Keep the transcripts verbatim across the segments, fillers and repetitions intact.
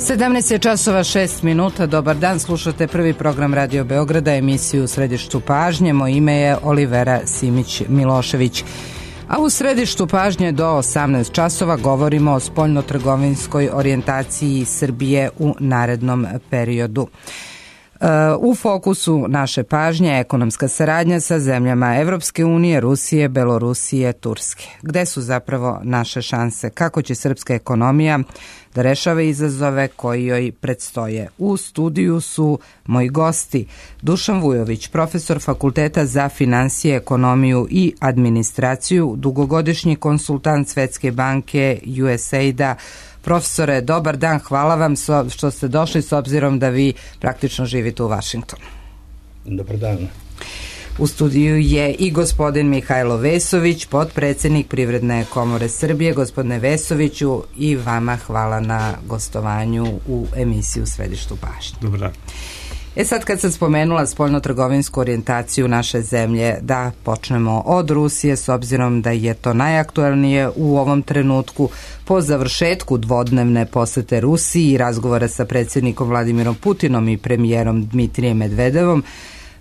sedamnaest je časova šest minuta. Dobar dan, slušate prvi program Radio Beograda, emisiju u središtu pažnje. Moje ime je Olivera Simić-Milošević. A u središtu pažnje do osamnaest časova govorimo o spoljnotrgovinskoj orijentaciji Srbije u narednom periodu. U fokusu naše pažnje je ekonomska saradnja sa zemljama Evropske unije, Rusije, Belorusije, Turske. Gde su zapravo naše šanse? Kako će srpska ekonomija da rešava izazove koji joj predstoje? U studiju su moji gosti Dušan Vujović, profesor Fakulteta za finansije, ekonomiju i administraciju, dugogodišnji konsultant Svetske banke, U S A I D-a. Profesore, dobar dan, hvala vam što ste došli s obzirom da vi praktično živite u Vašingtonu. Dobar dan. U studiju je i gospodin Mihajlo Vesović, potpredsednik Privredne komore Srbije. Gospodine Vesoviću, i vama hvala na gostovanju u emisiju Središtu pažnje. Dobar dan. E sad kad sam spomenula spoljnotrgovinsku orijentaciju naše zemlje, da počnemo od Rusije s obzirom da je to najaktuelnije u ovom trenutku po završetku dvodnevne posete Rusiji i razgovora sa predsjednikom Vladimirom Putinom i premijerom Dmitrijem Medvedevom.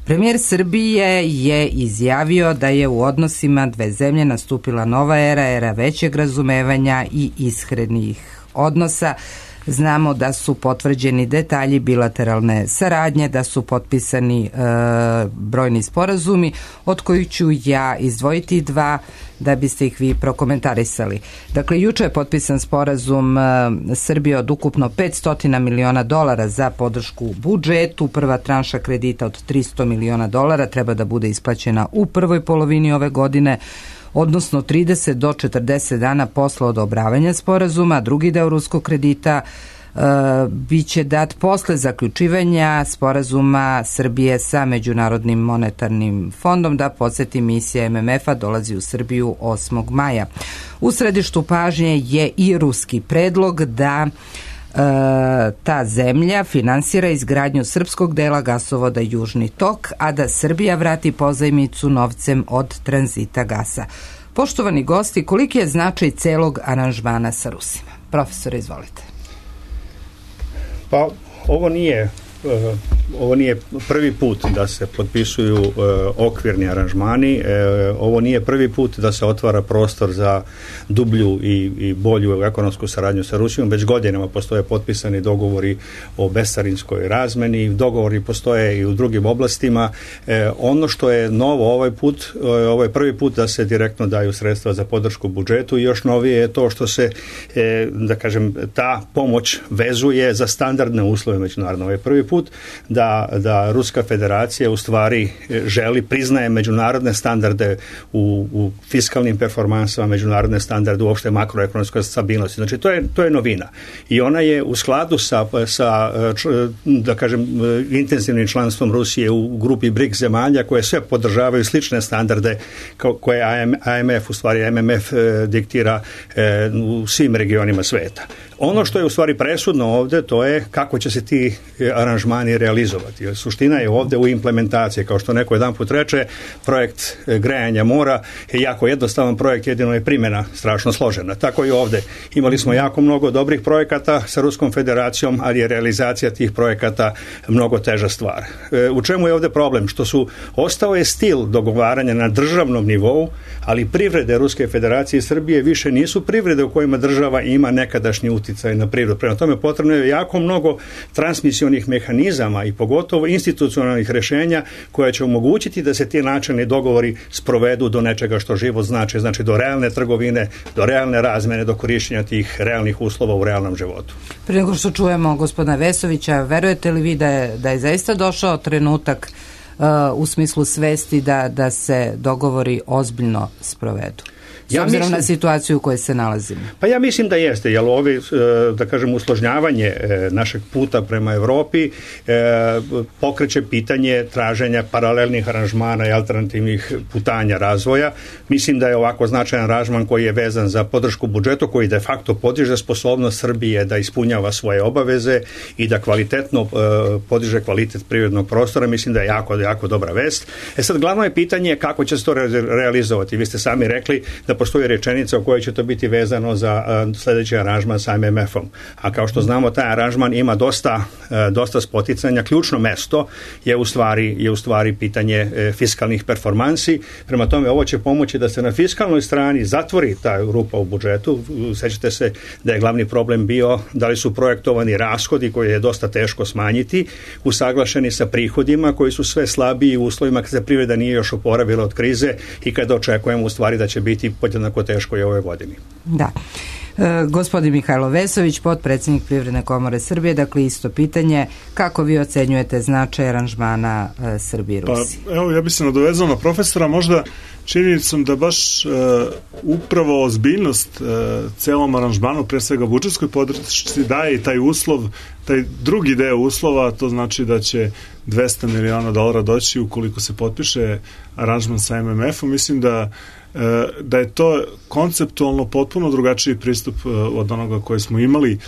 Premijer Srbije je izjavio da je u odnosima dve zemlje nastupila nova era, era većeg razumevanja i iskrenih odnosa. Znamo da su potvrđeni detalji bilateralne saradnje, da su potpisani e, brojni sporazumi, od kojih ću ja izdvojiti dva da biste ih vi prokomentarisali. Dakle, juče je potpisan sporazum e, Srbije od ukupno petsto miliona dolara za podršku budžetu. Prva tranša kredita od tristo miliona dolara treba da bude isplaćena u prvoj polovini ove godine, odnosno trideset do četrdeset dana posle odobravanja sporazuma. Drugi deo ruskog kredita e, biće dat posle zaključivanja sporazuma Srbije sa Međunarodnim monetarnim fondom. Da podsjetim, misija M M F-a dolazi u Srbiju osmog maja. U središtu pažnje je i ruski predlog da E, ta zemlja finansira izgradnju srpskog dela gasovoda Južni tok, a da Srbija vrati pozajmicu novcem od tranzita gasa. Poštovani gosti, koliki je značaj celog aranžmana sa Rusima? Profesore, izvolite. Pa, ovo nije ovo nije prvi put da se potpisuju uh, okvirni aranžmani, uh, ovo nije prvi put da se otvara prostor za dublju i, i bolju ekonomsku saradnju sa Rusijom. Već godinama postoje potpisani dogovori o bescarinskoj razmeni, dogovori postoje i u drugim oblastima. Uh, ono što je novo ovaj put, uh, ovo je prvi put da se direktno daju sredstva za podršku budžetu i još novije je to što se, uh, da kažem, ta pomoć vezuje za standardne uslove međunarodne. Ovo je prvi put da, da Ruska federacija u stvari želi, priznaje međunarodne standarde u, u fiskalnim performansama, međunarodne standarde uopšte makroekonomskoj stabilnosti. Znači to je, to je novina. I ona je u skladu sa, sa da kažem, intenzivnim članstvom Rusije u grupi BRICS zemalja koje sve podržavaju slične standarde koje A M F, u stvari M M F diktira u svim regionima sveta. Ono što je u stvari presudno ovde, to je kako će se ti aranžmani realizovati. Suština je ovde u implementaciji. Kao što neko jedan put reče, projekt grejanja mora je jako jednostavan projekt, jedino je primjena strašno složena. Tako i ovde. Imali smo jako mnogo dobrih projekata sa Ruskom federacijom, ali je realizacija tih projekata mnogo teža stvar. U čemu je ovde problem? Što su, ostao je stil dogovaranja na državnom nivou, ali privrede Ruske federacije i Srbije više nisu privrede u kojima država ima nekadašnji uticaj na privredu. Prema tome potrebno je jako mnogo transmisionih mehanizama i pogotovo institucionalnih rešenja koja će omogućiti da se ti načelni dogovori sprovedu do nečega što život znači, znači do realne trgovine, do realne razmene, do korišćenja tih realnih uslova u realnom životu. Prije nego što čujemo gospodina Vesovića, verujete li vi da je, da je zaista došao trenutak uh, u smislu svesti da, da se dogovori ozbiljno sprovedu? S ja obzirom mislim, na situaciju u kojoj se nalazimo. Pa ja mislim da jeste, jer ovi, da kažem, usložnjavanje našeg puta prema Evropi pokreće pitanje traženja paralelnih aranžmana i alternativnih putanja razvoja. Mislim da je ovako značajan aranžman koji je vezan za podršku budžetu, koji de facto podiže sposobnost Srbije da ispunjava svoje obaveze i da kvalitetno podiže kvalitet privrednog prostora. Mislim da je jako, jako dobra vest. E sad, glavno je pitanje kako će se to realizovati. Vi ste sami rekli da postoji rečenica u kojoj će to biti vezano za uh, sljedeći aranžman sa M M F-om. A kao što znamo, taj aranžman ima dosta, uh, dosta spoticanja. Ključno mesto je u stvari, je u stvari pitanje uh, fiskalnih performansi. Prema tome, ovo će pomoći da se na fiskalnoj strani zatvori ta rupa u budžetu. Sećate se da je glavni problem bio da li su projektovani rashodi koje je dosta teško smanjiti, usaglašeni sa prihodima koji su sve slabiji u uslovima kad se privreda nije još oporavila od krize i kada očekujemo u stvari da će biti podjednako teško i ove godine. Da. E, gospodin Mihajlo Vesović, potpredsjednik Privredne komore Srbije, dakle isto pitanje, kako vi ocenjujete značaj aranžmana e, Srbije i Rusije? Pa evo, ja bih se nadovezao na profesora, možda činjenicom da baš e, upravo ozbiljnost e, celom aranžmanu, pre svega budžetskoj podršci, daje i taj uslov, taj drugi deo uslova, to znači da će dvesta miliona dolara doći ukoliko se potpiše aranžman sa M M F-om. Mislim da da je to konceptualno potpuno drugačiji pristup od onoga koje smo imali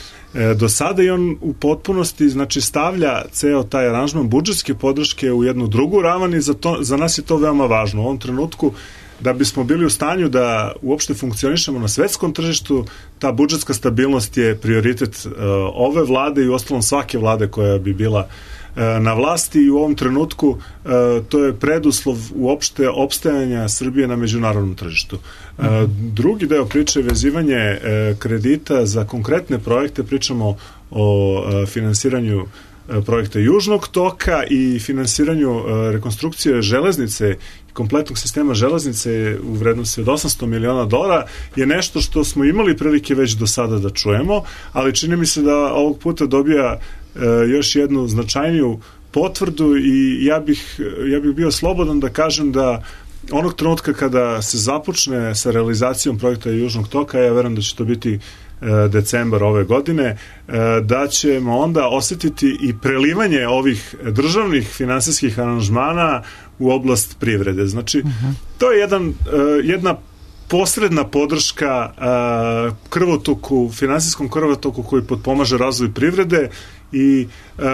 do sada i on u potpunosti znači stavlja ceo taj aranžman budžetske podrške u jednu drugu ravan i za, to, za nas je to veoma važno. U ovom trenutku da bismo bili u stanju da uopšte funkcionišemo na svetskom tržištu, ta budžetska stabilnost je prioritet uh, ove vlade i uostalom svake vlade koja bi bila na vlasti i u ovom trenutku to je preduslov uopšte opstajanja Srbije na međunarodnom tržištu. Drugi deo priče je vezivanje kredita za konkretne projekte, pričamo o finansiranju projekta Južnog toka i finansiranju rekonstrukcije železnice i kompletnog sistema železnice u vrednosti od osamsto miliona dolara je nešto što smo imali prilike već do sada da čujemo, ali čini mi se da ovog puta dobija još jednu značajniju potvrdu i ja bih, ja bih bio slobodan da kažem da onog trenutka kada se započne sa realizacijom projekta Južnog toka, ja verujem da će to biti decembar ove godine, da ćemo onda osetiti i prelivanje ovih državnih finansijskih aranžmana u oblast privrede. Znači, uh-huh. to je jedan, jedna posredna podrška krvotoku, finansijskom krvotoku koji potpomaže razvoj privrede i uh,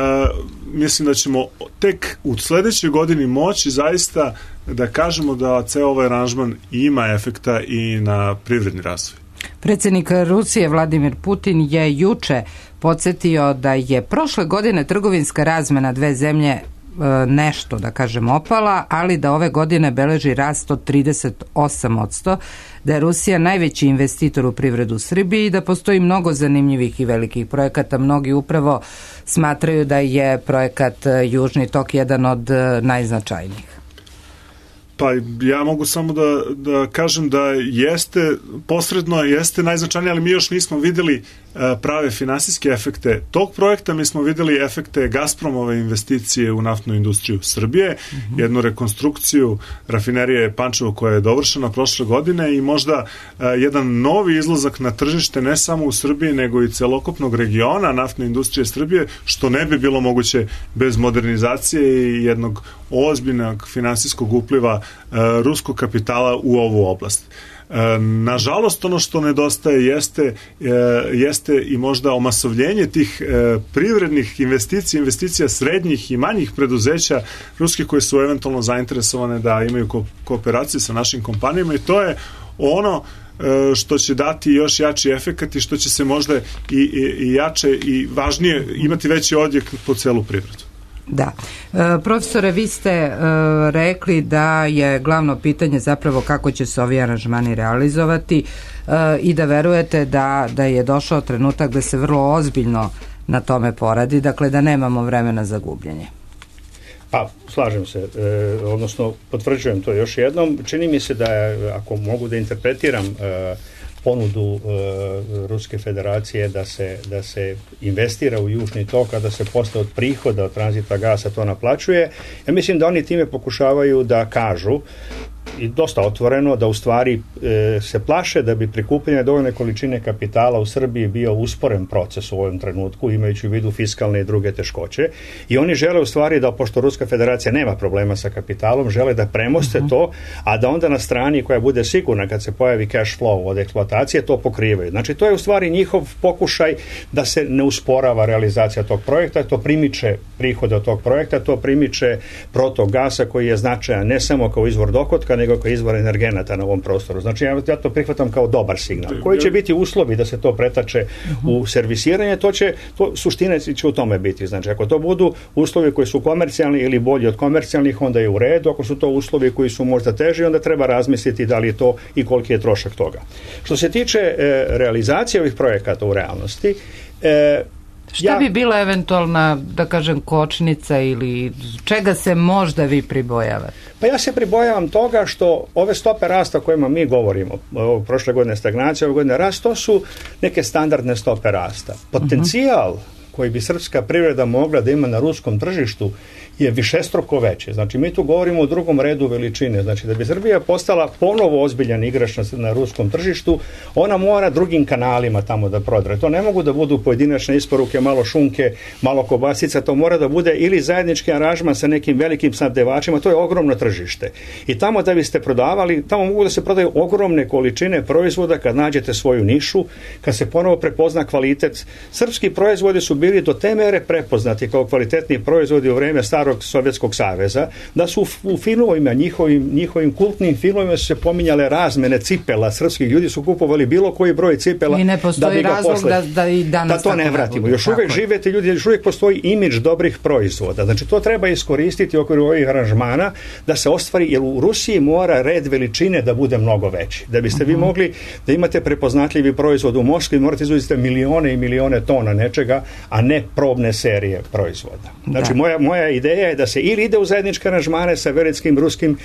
mislim da ćemo tek u sledećoj godini moći zaista da kažemo da ceo ovaj aranžman ima efekta i na privredni razvoj. Predsjednik Rusije Vladimir Putin je juče podsjetio da je prošle godine trgovinska razmena dve zemlje e, nešto, da kažem, opala, ali da ove godine beleži rast od trideset osam posto, da je Rusija najveći investitor u privredu Srbiji i da postoji mnogo zanimljivih i velikih projekata. Mnogi upravo smatraju da je projekat Južni tok jedan od najznačajnijih. Pa ja mogu samo da, da kažem da jeste, posredno jeste najznačajnije, ali mi još nismo videli prave finansijske efekte tog projekta. Mi smo videli efekte Gazpromove investicije u naftnu industriju Srbije, mm-hmm. jednu rekonstrukciju rafinerije Pančevo koja je dovršena prošle godine i možda uh, jedan novi izlazak na tržište ne samo u Srbiji nego i celokupnog regiona naftne industrije Srbije, što ne bi bilo moguće bez modernizacije i jednog ozbiljnog finansijskog upliva uh, ruskog kapitala u ovu oblast. Nažalost, ono što nedostaje jeste, jeste i možda omasovljenje tih privrednih investicija, investicija srednjih i manjih preduzeća ruskih koje su eventualno zainteresovane da imaju ko- kooperacije sa našim kompanijama i to je ono što će dati još jači efekat i što će se možda i, i, i jače i važnije imati veći odjek po celu privredu. Da. E, profesore, vi ste e, rekli da je glavno pitanje zapravo kako će se ovi aranžmani realizovati e, i da verujete da, da je došao trenutak da se vrlo ozbiljno na tome poradi, dakle da nemamo vremena za gubljenje. Pa, slažem se, e, odnosno potvrđujem to još jednom. Čini mi se da je, ako mogu da interpretiram e, ponudu e, Ruske federacije da se, da se investira u Južni tok, a da se posle od prihoda od tranzita gasa to naplaćuje. Ja mislim da oni time pokušavaju da kažu i dosta otvoreno da u stvari e, se plaše da bi prikupljanje dovoljne količine kapitala u Srbiji bio usporen proces u ovom trenutku, imajući u vidu fiskalne i druge teškoće. I oni žele u stvari da, pošto Ruska federacija nema problema sa kapitalom, žele da premoste uh-huh. to, a da onda na strani koja bude sigurna kad se pojavi cash flow od eksploatacije, to pokrivaju. Znači, to je u stvari njihov pokušaj da se ne usporava realizacija tog projekta, to primiče prihode od tog projekta, to primiče protok gasa koji je značajan ne samo kao izvor dohotka tržišta nego kao izvor energenata na ovom prostoru. Znači ja, ja to prihvatam kao dobar signal. Koji će biti uslovi da se to pretače u servisiranje, to će, to, suština će u tome biti. Znači ako to budu uslovi koji su komercijalni ili bolji od komercijalnih, onda je u redu. Ako su to uslovi koji su možda teži, onda treba razmisliti da li je to i koliki je trošak toga. Što se tiče e, realizacije ovih projekata u realnosti, e, šta ja, bi bila eventualna, da kažem, kočnica ili čega se možda vi pribojavate? Pa ja se pribojavam toga što ove stope rasta o kojima mi govorimo, prošle godine stagnacija, ove godine rast, to su neke standardne stope rasta. Potencijal uh-huh. koji bi srpska privreda mogla da ima na ruskom tržištu je višestruko veće. Znači, mi tu govorimo o drugom redu veličine. Znači, da bi Srbija postala ponovo ozbiljan igrač na, na ruskom tržištu, ona mora drugim kanalima tamo da prodre. To ne mogu da budu pojedinačne isporuke, malo šunke, malo kobasica, to mora da bude ili zajednički aranžman sa nekim velikim snabdevačima, to je ogromno tržište. I tamo da biste prodavali, tamo mogu da se prodaju ogromne količine proizvoda kad nađete svoju nišu, kad se ponovo prepozna kvalitet. Srpski proizvodi su bili do te mere prepoznati kao kvalitetni proizvodi u vreme starog Sovjetskog saveza, da su u filmovima, njihovim, njihovim kultnim filmovima su se pominjale razmene cipela, srpskih ljudi su kupovali bilo koji broj cipela. I ne postoji da razlog posle, da, da i danas da to ne vratimo. Još uvijek živete ljudi, još uvijek postoji imidž dobrih proizvoda. Znači to treba iskoristiti u okviru ovih aranžmana da se ostvari, jer u Rusiji mora red veličine da bude mnogo veći. Da biste uh-huh. vi mogli da imate prepoznatljivi proizvod u Moskvi, morate izvoziti milione i milione tona nečega, a ne probne serije proizvoda. Znači moja, moja ideja je da se ili ide u zajedničke aranžmane sa velikim ruskim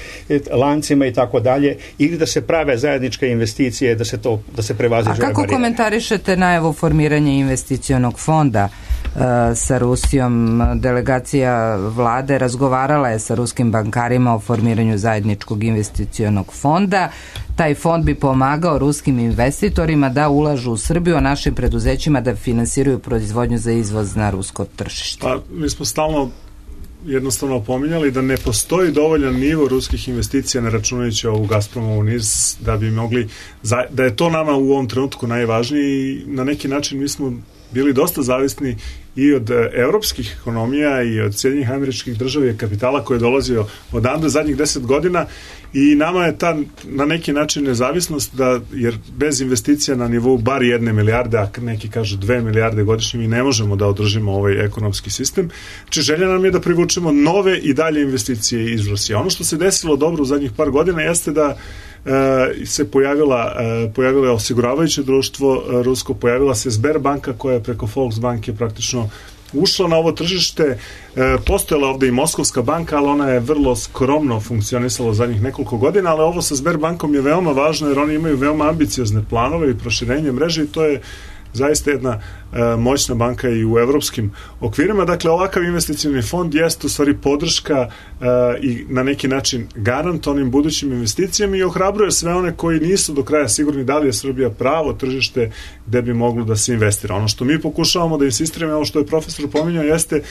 lancima i tako dalje, ili da se prave zajedničke investicije, da se to da se prevaziđe. A kako komentarišete najavu formiranja investicionog fonda uh, sa Rusijom? Delegacija vlade razgovarala je sa ruskim bankarima o formiranju zajedničkog investicionog fonda. Taj fond bi pomagao ruskim investitorima da ulažu u Srbiju, a našim preduzećima da finansiraju proizvodnju za izvoz na rusko tržište. Pa, mi smo stalno jednostavno opominjali da ne postoji dovoljan nivo ruskih investicija, ne računajući ovu Gazpromovu niz, da bi mogli, da je to nama u ovom trenutku najvažnije i na neki način mi smo bili dosta zavisni i od evropskih ekonomija i od Sjedinjenih Američkih Država i kapitala koji je dolazio odande zadnjih deset godina i nama je ta na neki način nezavisnost da, jer bez investicija na nivou bar jedne milijarde, a neki kažu dve milijarde godišnje, mi ne možemo da održimo ovaj ekonomski sistem. Znači želja nam je da privučemo nove i dalje investicije iz Rusije. Ono što se desilo dobro u zadnjih par godina jeste da Uh, se pojavila, uh, pojavilo je osiguravajuće društvo uh, rusko, pojavila se Sberbanka koja je preko Volksbanke praktično ušla na ovo tržište, uh, postojala ovde i Moskovska banka, ali ona je vrlo skromno funkcionisala u zadnjih nekoliko godina, ali ovo sa Sberbankom je veoma važno jer oni imaju veoma ambiciozne planove i proširenje mreže i to je zaista jedna e, moćna banka i u evropskim okvirima. Dakle, ovakav investicioni fond jeste u stvari podrška e, i na neki način garant onim budućim investicijama i ohrabruje sve one koji nisu do kraja sigurni da li je Srbija pravo tržište gde bi moglo da se investira. Ono što mi pokušavamo da insistiramo, ovo što je profesor pominjao, jeste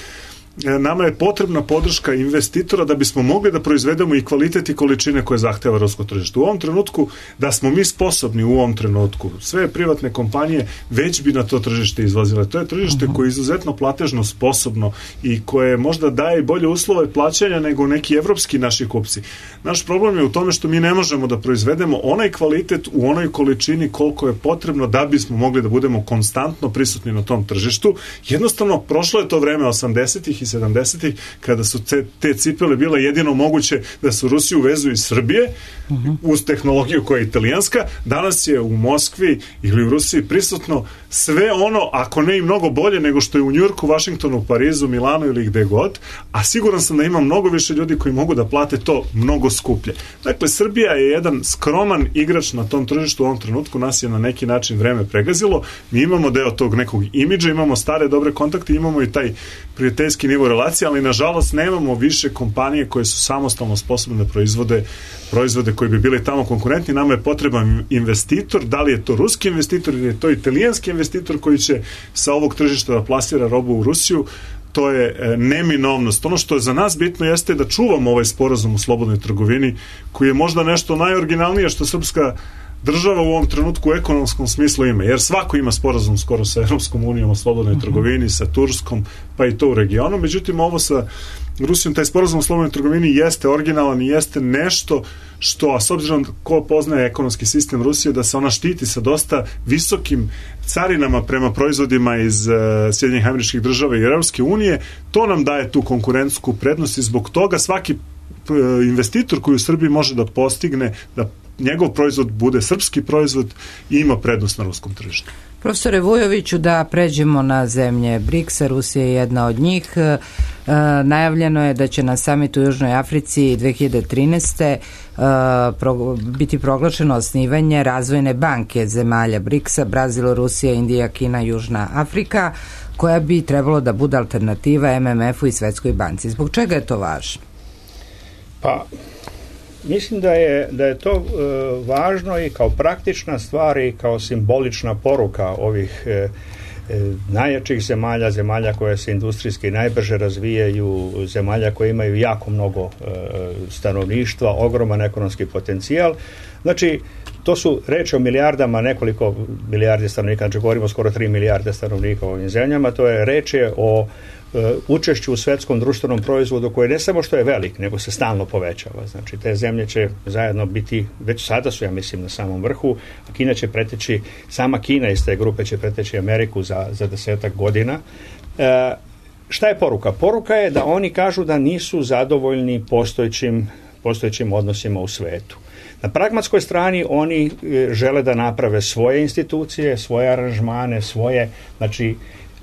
nama je potrebna podrška investitora da bismo mogli da proizvedemo i kvalitet i količine koje zahteva rusko tržište. U ovom trenutku, da smo mi sposobni u ovom trenutku, sve privatne kompanije već bi na to tržište izvozile. To je tržište koje je izuzetno platežno sposobno i koje možda daje bolje uslove plaćanja nego neki evropski naši kupci. Naš problem je u tome što mi ne možemo da proizvedemo onaj kvalitet u onoj količini koliko je potrebno da bismo mogli da budemo konstantno prisutni na tom tržištu. Jednostavno, prošlo je to vreme osamdesetih i sedamdesetih kada su te, te cipele bile jedino moguće da se u Rusiju uvezu iz Srbije uh-huh. uz tehnologiju koja je italijanska. Danas je u Moskvi ili u Rusiji prisutno sve ono, ako ne i mnogo bolje nego što je u Njujorku, Vašingtonu, Parizu, Milanu ili gde god, a siguran sam da ima mnogo više ljudi koji mogu da plate to mnogo skuplje. Dakle, Srbija je jedan skroman igrač na tom tržištu u ovom trenutku, nas je na neki način vreme pregazilo, mi imamo deo tog nekog imidža, imamo stare dobre kontakte, imamo i taj prijateljski nivo relacije, ali nažalost nemamo više kompanije koje su samostalno sposobne da proizvode proizvode koji bi bili tamo konkurentni. Nama je potreban investitor, da li je to ruski investitor ili je to italijanski investitor koji će sa ovog tržišta da plasira robu u Rusiju. To je e, neminovnost. Ono što je za nas bitno jeste da čuvamo ovaj sporazum u slobodnoj trgovini koji je možda nešto najoriginalnije što srpska država u ovom trenutku u ekonomskom smislu ima, jer svako ima sporazum skoro sa Europskom unijom o slobodnoj trgovini, sa Turskom, pa i to u regionu. Međutim, ovo sa Rusijom, taj sporazum o slobodnoj trgovini jeste originalan i jeste nešto što, a s obzirom ko poznaje ekonomski sistem Rusije, da se ona štiti sa dosta visokim carinama prema proizvodima iz uh, Sjedinjenih Američkih Država i Europske unije, to nam daje tu konkurentsku prednost i zbog toga svaki uh, investitor koji u Srbiji može da postigne da njegov proizvod bude srpski proizvod i ima prednost na ruskom tržištu. Profesore Vujoviću, da pređemo na zemlje briksa, Rusija je jedna od njih. E, najavljeno je da će na samitu u Južnoj Africi dve hiljade trinaeste. E, pro, biti proglašeno osnivanje razvojne banke zemalja briksa, Brazil, Rusija, Indija, Kina, Južna Afrika, koja bi trebalo da bude alternativa M M F-u i Svetskoj banci. Zbog čega je to važno? Pa, mislim da je, da je to e, važno i kao praktična stvar i kao simbolična poruka ovih e, e, najjačih zemalja, zemalja koje se industrijski najbrže razvijaju, zemalja koje imaju jako mnogo e, stanovništva, ogroman ekonomski potencijal. Znači, to su reči o milijardama, nekoliko milijardi stanovnika, znači govorimo skoro tri milijarde stanovnika u ovim zemljama, to je reč je o učešću u svetskom društvenom proizvodu koji ne samo što je velik, nego se stalno povećava. Znači, te zemlje će zajedno biti, već sada su, ja mislim, na samom vrhu, a Kina će preteći, sama Kina iz te grupe će preteći Ameriku za, za desetak godina. E, šta je poruka? Poruka je da oni kažu da nisu zadovoljni postojećim, postojećim odnosima u svetu. Na pragmatskoj strani oni žele da naprave svoje institucije, svoje aranžmane, svoje, znači,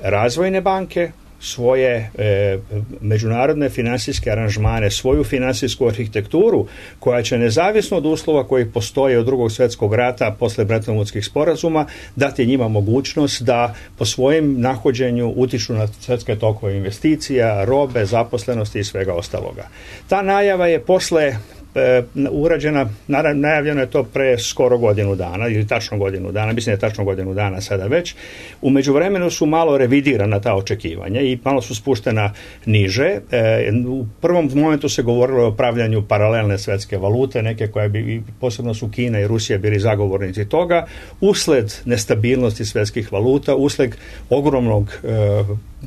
razvojne banke, svoje e, međunarodne finansijske aranžmane, svoju finansijsku arhitekturu koja će nezavisno od uslova koji postoje od drugog svjetskog rata posle Bretton Woodskih sporazuma dati njima mogućnost da po svojem nahođenju utiču na svjetske tokove investicija, robe, zaposlenosti i svega ostaloga. Ta najava je posle urađena, najavljeno je to pre skoro godinu dana ili tačno godinu dana, mislim da je tačno godinu dana sada već. U međuvremenu su malo revidirana ta očekivanja i malo su spuštena niže. E, u prvom momentu se govorilo o pravljanju paralelne svetske valute, neke koje bi, posebno su Kina i Rusija bili zagovornici toga, usled nestabilnosti svetskih valuta, usled ogromnog e,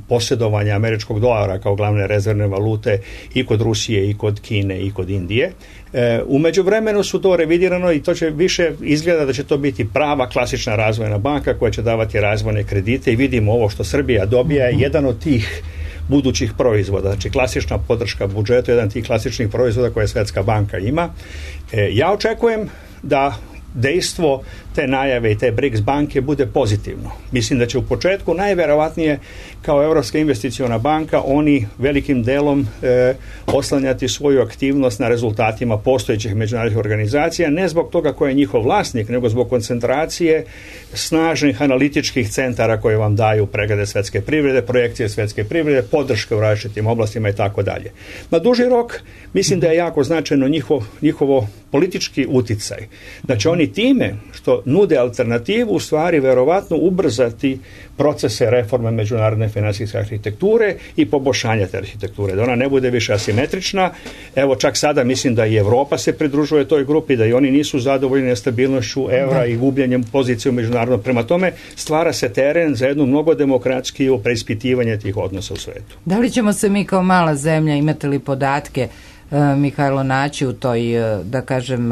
posjedovanja američkog dolara kao glavne rezervne valute i kod Rusije i kod Kine i kod Indije. E, u međuvremenu su to revidirano i to će više izgleda da će to biti prava klasična razvojna banka koja će davati razvojne kredite i vidimo ovo što Srbija dobija je jedan od tih budućih proizvoda, znači klasična podrška budžetu, jedan od tih klasičnih proizvoda koje Svetska banka ima. E, ja očekujem da dejstvo te najave i te BRICS banke bude pozitivno. Mislim da će u početku najverovatnije kao Evropska investiciona banka oni velikim delom e, oslanjati svoju aktivnost na rezultatima postojećih međunarodnih organizacija, ne zbog toga ko je njihov vlasnik, nego zbog koncentracije snažnih analitičkih centara koje vam daju preglede svetske privrede, projekcije svetske privrede, podrške u različitim oblastima i tako dalje. Na duži rok mislim da je jako značajno njihov, njihovo politički uticaj. Da će oni time što nude alternativu u stvari verovatno ubrzati procese reforme međunarodne finansijske arhitekture i poboljšanja te arhitekture, da ona ne bude više asimetrična. Evo čak sada mislim da i Evropa se pridružuje toj grupi, da i oni nisu zadovoljni nestabilnošću evra i gubljenjem pozicije u međunarodnom. Prema tome stvara se teren za jednu mnogo demokratskiju preispitivanje tih odnosa u svetu. Da li ćemo se mi kao mala zemlja, imate li podatke, Mihajlo, naći u toj, da kažem,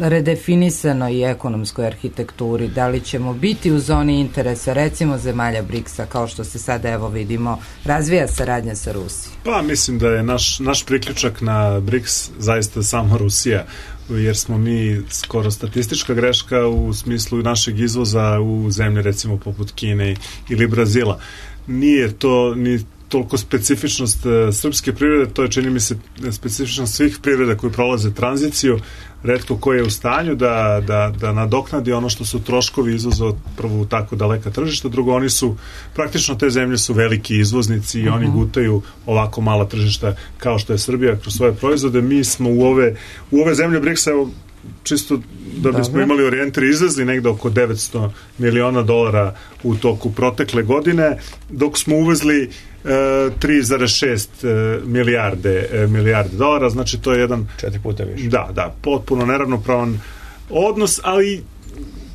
redefinisanoj ekonomskoj arhitekturi? Da li ćemo biti u zoni interesa, recimo zemalja briksa, kao što se sada, evo vidimo, razvija saradnja sa Rusijom? Pa mislim da je naš, naš priključak na briks zaista samo Rusija, jer smo mi skoro statistička greška u smislu našeg izvoza u zemlje recimo poput Kine ili Brazila. Nije to ni toliko specifičnost uh, srpske privrede, to je, čini mi se, specifičnost svih privreda koji prolaze tranziciju, retko ko je u stanju da, da, da nadoknadi ono što su troškovi izvoza prvo u tako daleka tržišta, drugo, oni su, praktično te zemlje su veliki izvoznici i uh-huh. oni gutaju ovako mala tržišta kao što je Srbija kroz svoje proizvode. Mi smo u ove, u ove zemlje briksa, čisto da bismo Dobre. imali orijentir, izvezli negde oko devetsto miliona dolara u toku protekle godine, dok smo uvezli tri zarez šest milijarde milijarde dolara, znači to je jedan četiri puta više. Da, da, potpuno neravnopravan odnos, ali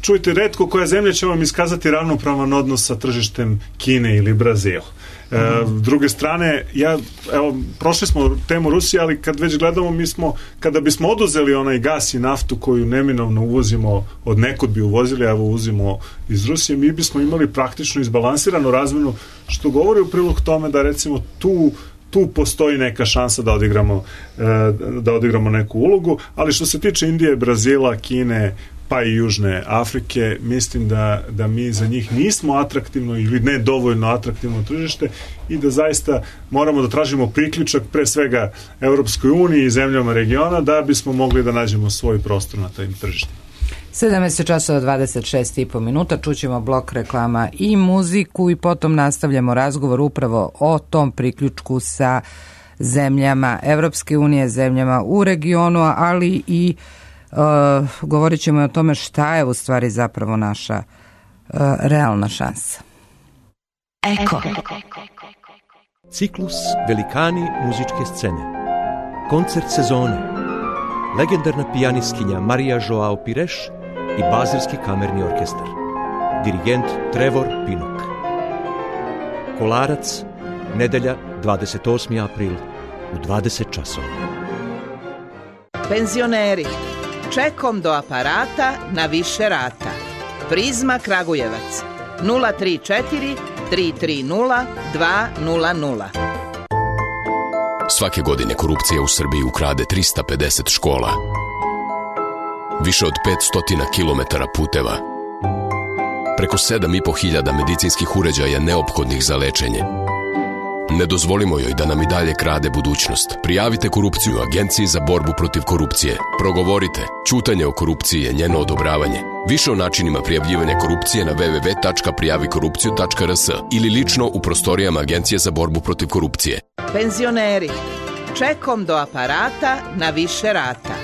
čujte, retko koja zemlja će vam iskazati ravnopravan odnos sa tržištem Kine ili Brazila. E, s druge strane, ja, evo, prošli smo temu Rusije, ali kad već gledamo, mi smo, kada bismo oduzeli onaj gas i naftu koju neminovno uvozimo, od nekud bi uvozili, evo uzimo iz Rusije, mi bismo imali praktično izbalansiranu razmenu, što govori u prilog tome da recimo tu tu postoji neka šansa da odigramo, da odigramo neku ulogu, ali što se tiče Indije, Brazila, Kine, pa i Južne Afrike, mislim da, da mi za njih nismo atraktivno ili ne dovoljno atraktivno tržište i da zaista moramo da tražimo priključak pre svega Evropskoj uniji i zemljama regiona da bismo mogli da nađemo svoj prostor na tim tržištima. sedamnaest časova dvadeset šest i po minuta, čućemo blok reklama i muziku i potom nastavljamo razgovor upravo o tom priključku sa zemljama Evropske unije, zemljama u regionu, ali i uh, govorit ćemo o tome šta je u stvari zapravo naša uh, realna šansa. Eko. Ciklus Velikani muzičke scene. Koncert sezone. Legendarna pijanistkinja Marija Joao Pires i Bazilski kamerni orkestar. Dirigent Trevor Pinnock. Kolarac, nedelja dvadeset osmi april u dvadeset časova. Penzioneri, čekom do aparata na više rata. Prizma Kragujevac, nula tri četiri tri tri nula dva nula nula. Svake godine korupcija u Srbiji ukrade trista pedeset škola, više od petsto kilometara puteva, preko sedam i po hiljada medicinskih uređaja neophodnih za lečenje. Ne dozvolimo joj da nam i dalje krade budućnost. Prijavite korupciju Agenciji za borbu protiv korupcije. Progovorite. Ćutanje o korupciji je njeno odobravanje. Više o načinima prijavljivanja korupcije na w w w tačka prijavi korupciju tačka r s ili lično u prostorijama Agencije za borbu protiv korupcije. Penzioneri, čekom do aparata na više rata.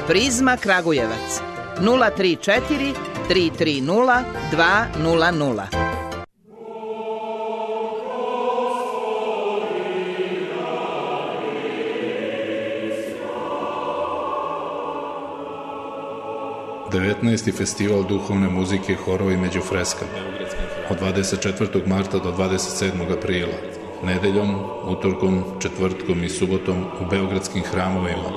Prizma Kragujevac, nula tri četiri tri tri nula dva nula nula. devetnaesti festival duhovne muzike, horovi među freskama od dvadeset četvrtog marta do dvadeset sedmog aprila, nedeljom, utorkom, četvrtkom i subotom u beogradskim hramovima,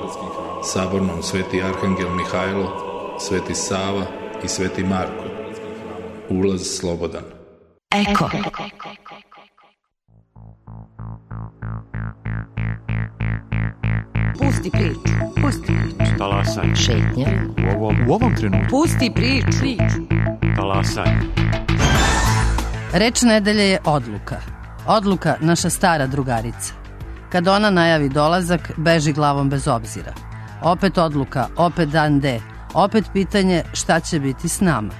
Sabornom Sveti Arhangel Mihajlo, Sveti Sava i Sveti Marko. Ulaz slobodan. Eko. Pusti priču. Pusti priču. Talasaj. Šetnja. U ovom, u ovom trenutku. Pusti priču. priču. Talasaj. Reč nedelje je odluka. Odluka naša stara drugarica. Kad ona najavi dolazak, beži glavom bez obzira. Opet odluka, opet dan D. Opet pitanje šta će biti s nama.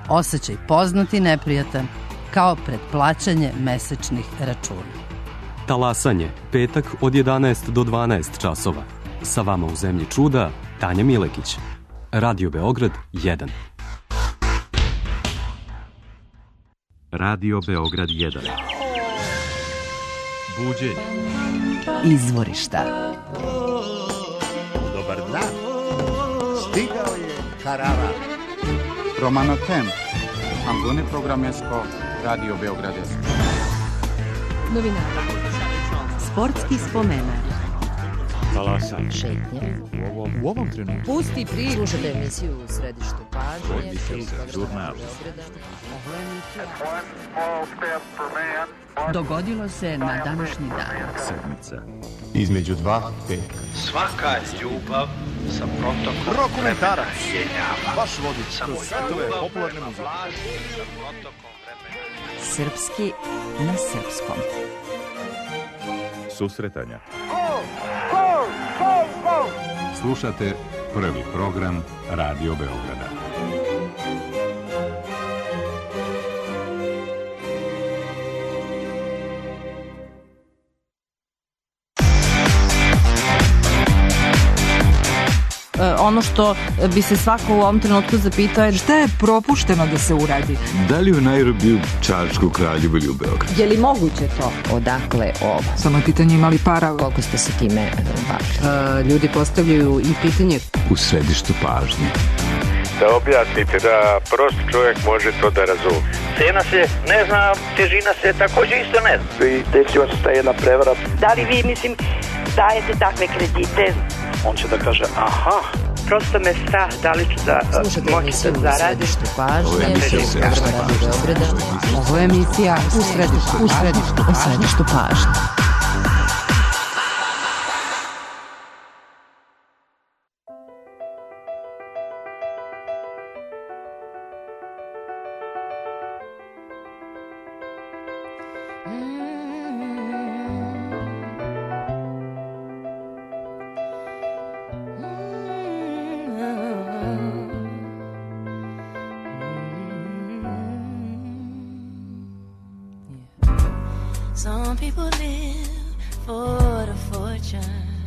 Osjećaj poznat i neprijatan, kao pred plaćanje mesečnih računa. Talasanje, petak od jedanaest do dvanaest časova. Sa vama u zemlji čuda, Tanja Milekić. Radio Beograd jedan. Radio Beograd jedan. Buđenje. Izvorišta. Dobar dan. Stigao je Karavan. Romano Tem. Ambune Programesko. Radio Beograd jedan. Novinari. Sportski spomenar. Talasaj. Šetnja. U ovom, u ovom trenutku. Pusti priču. Slušate emisiju u središtu pažnje. Žurnal. Dogodilo se na današnji dan. Sedmica. Između dva petka. Svaka ljubav sa protokom Dokumentarac. vremena. Vaš vodič kroz svetove popularne muzike. Srpski na srpskom. Susretanja. Slušate prvi program Radio Beograda. Ono što bi se svako u ovom trenutku zapitao je šta je propušteno da se uradi. Da li u Nairobiju, Čačku, Kraljevu ili u Beogradu? Je li moguće to? Odakle ovo? Samo je pitanje imali para. Koliko ste se time bavili? Uh, ljudi postavljaju i pitanje u središtu pažnje. da objasnite da prost čovjek može to da razumije. Cena se ne zna, težina se također isto ne zna. I desila se ta jedna prevara. Da li vi, mislim, dajete takve kredite? On će da kaže, aha. Prosto me strah da li ću da moći da zaradim. Ovo je emisija u središtu pažnje. Ovo je emisija u središtu, u središtu, u središtu pažnje. Some people live for the fortune.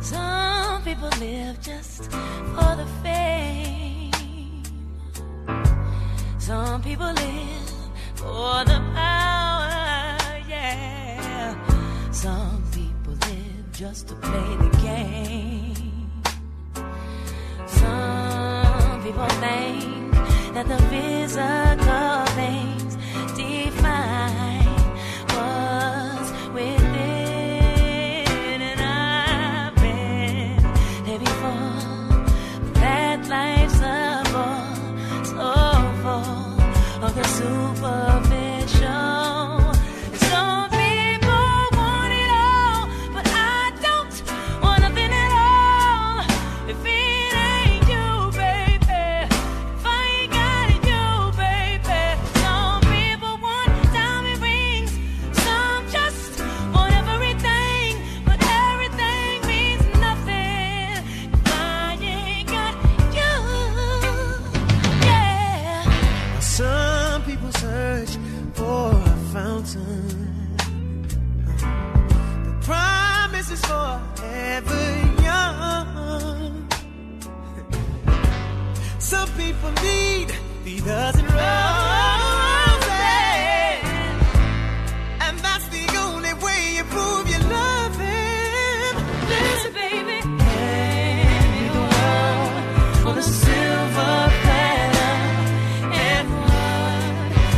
Some people live just for the fame. Some people live for the power, yeah. Some people live just to play the game. Some people think that the physical things define what's within, and I've been there before. That life's a bore, so full of the superficial. Some people want it all, but I don't want nothing at all. If it ain't you, baby, if I ain't got you, baby. Some people want diamond rings, some just want everything, but everything means nothing if I ain't got you. Yeah. Some people search for a fountain. The promise is forever young. Some people need the dozen roses, and that's the only way you prove you love him. Listen, baby, hand me the world on a silver platter, and what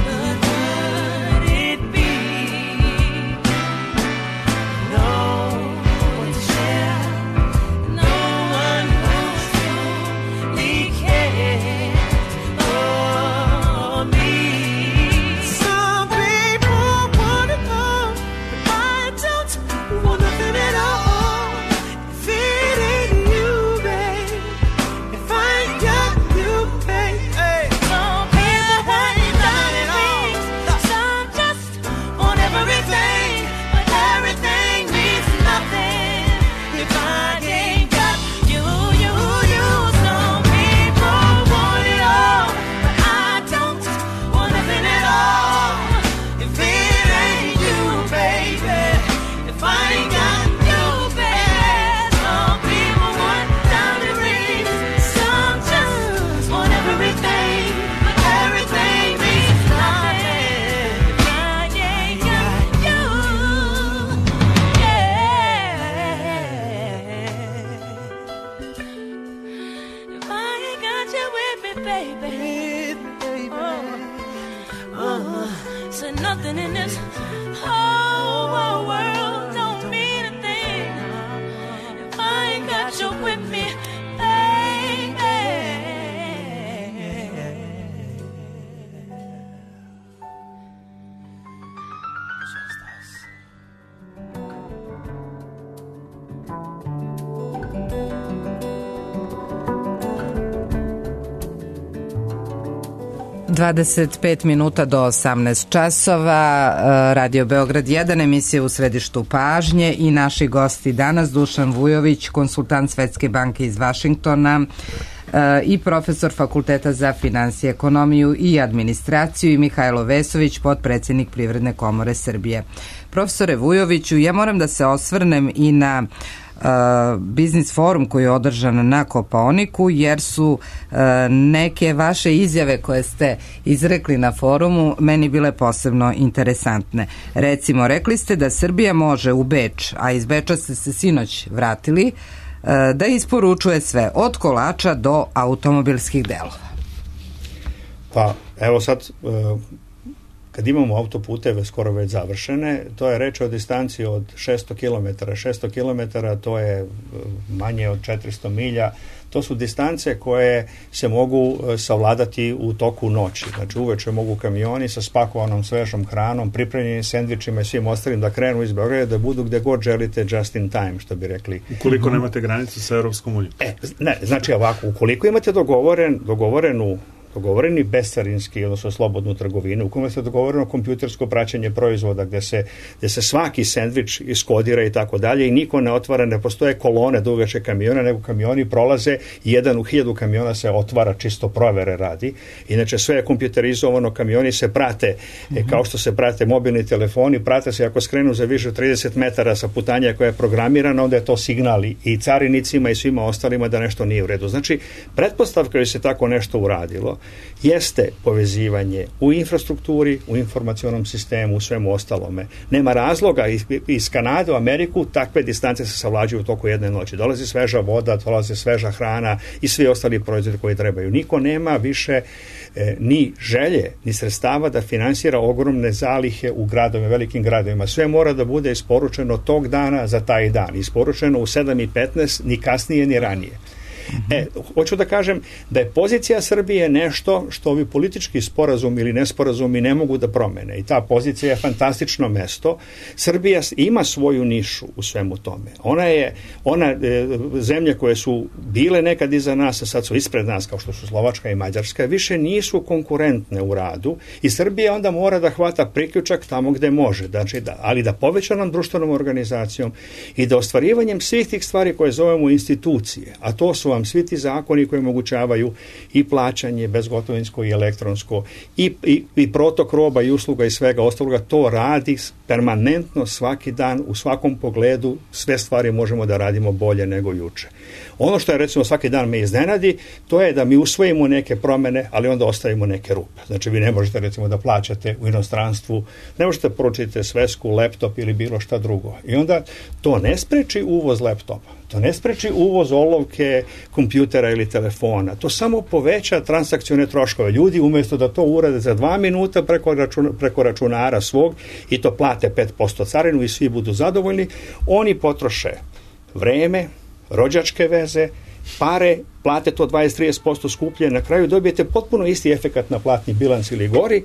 good would it be? No one to share, no one who's truly cares for me. Some people want it all, but I don't want nothing at all. If it ain't you, babe, if I ain't got you, babe, hey. Some people want diamond rings, some just want everything, but everything means nothing if I ain't got you, you, you. Some people want it all, but I don't want nothing at all. If it ain't you, baby, if I ain't got you, baby. Some people want diamond rings, some just want everything, but everything means nothing if I ain't got you. Yeah. If I ain't got you with me, baby. Oh, oh, so nothing in this whole world don't mean a thing if I ain't got you with me, baby. dvadeset pet minuta do osamnaest časova, Radio Beograd jedan, emisija u središtu pažnje i naši gosti danas Dušan Vujović, konsultant Svetske banke iz Vašingtona i profesor Fakulteta za finansije, ekonomiju i administraciju, i Mihajlo Vesović, potpredsjednik Privredne komore Srbije. Profesore Vujoviću, ja moram da se osvrnem i na Uh, biznis forum koji je održan na Kopaoniku, jer su uh, neke vaše izjave koje ste izrekli na forumu meni bile posebno interesantne. Recimo, rekli ste da Srbija može u Beč, a iz Beča ste se sinoć vratili, da isporučuje sve od kolača do automobilskih delova. Pa evo sad, kad imamo autoputeve skoro već završene, to je reč o distanci od šesto kilometara. šesto kilometara to je manje od četiristo milja. To su distance koje se mogu savladati u toku noći. Znači uveče mogu kamioni sa spakovanom svežom hranom, pripremljenim sendvičima i svim ostalim da krenu iz Beograda, da budu gde god želite just in time, što bi rekli. Ukoliko nemate granicu sa Europskom unijom. E, ne, znači ovako, ukoliko imate dogovoren, dogovorenu dogovoreni bescarinski, odnosno slobodnu trgovinu, u kome se dogovoreno kompjutersko praćenje proizvoda, gde se, gde se svaki sendvič iskodira i tako dalje i niko ne otvara, ne postoje kolone dugačke kamiona, nego kamioni prolaze i jedan u hiljadu kamiona se otvara, čisto provere radi. Inače sve je kompjuterizovano, kamioni se prate, mm-hmm. kao što se prate mobilni telefoni, prate se ako skrenu za više od trideset metara sa putanja koja je programirana, onda je to signal i carinicima i svima ostalima da nešto nije u redu. Znači, pretpostavka je se tako nešto uradilo jeste povezivanje u infrastrukturi, u informacionom sistemu, u svemu ostalome. Nema razloga iz, iz Kanade u Ameriku takve distance se savlađuju u toku jedne noći. Dolazi sveža voda, dolazi sveža hrana i svi ostali proizvodi koji trebaju. Niko nema više e, ni želje, ni sredstava da finansira ogromne zalihe u gradovima, velikim gradovima. Sve mora da bude isporučeno tog dana za taj dan. Isporučeno u sedam i petnaest, ni kasnije, ni ranije. E, hoću da kažem da je pozicija Srbije nešto što ovi politički sporazum ili nesporazumi ne mogu da promene i ta pozicija je fantastično mesto. Srbija ima svoju nišu u svemu tome. Ona je, ona e, zemlje koje su bile nekad iza nas, a sad su ispred nas, kao što su Slovačka i Mađarska, više nisu konkurentne u radu i Srbija onda mora da hvata priključak tamo gde može, znači da, ali da povećanom društvenom organizacijom i da ostvarivanjem svih tih stvari koje zovemo institucije, a to su vam svi ti zakoni koji omogućavaju i plaćanje bezgotovinsko i elektronsko i, i, i protok roba i usluga i svega ostaloga, to radi permanentno svaki dan, u svakom pogledu sve stvari možemo da radimo bolje nego juče. Ono što je recimo svaki dan me iznenadi, to je da mi usvojimo neke promene, ali onda ostavimo neke rupe. Znači vi ne možete recimo da plaćate u inostranstvu, ne možete poručiti svesku, laptop ili bilo šta drugo. I onda to ne spreči uvoz laptopa. To ne spreči uvoz olovke, kompjutera ili telefona. To samo poveća transakcione troškove. Ljudi umjesto da to urade za dva minuta preko, računa, preko računara svog i to plate pet posto carinu i svi budu zadovoljni, oni potroše vreme, rođačke veze, pare, plate to dvadeset do trideset posto skuplje, na kraju dobijete potpuno isti efekat na platni bilans ili gori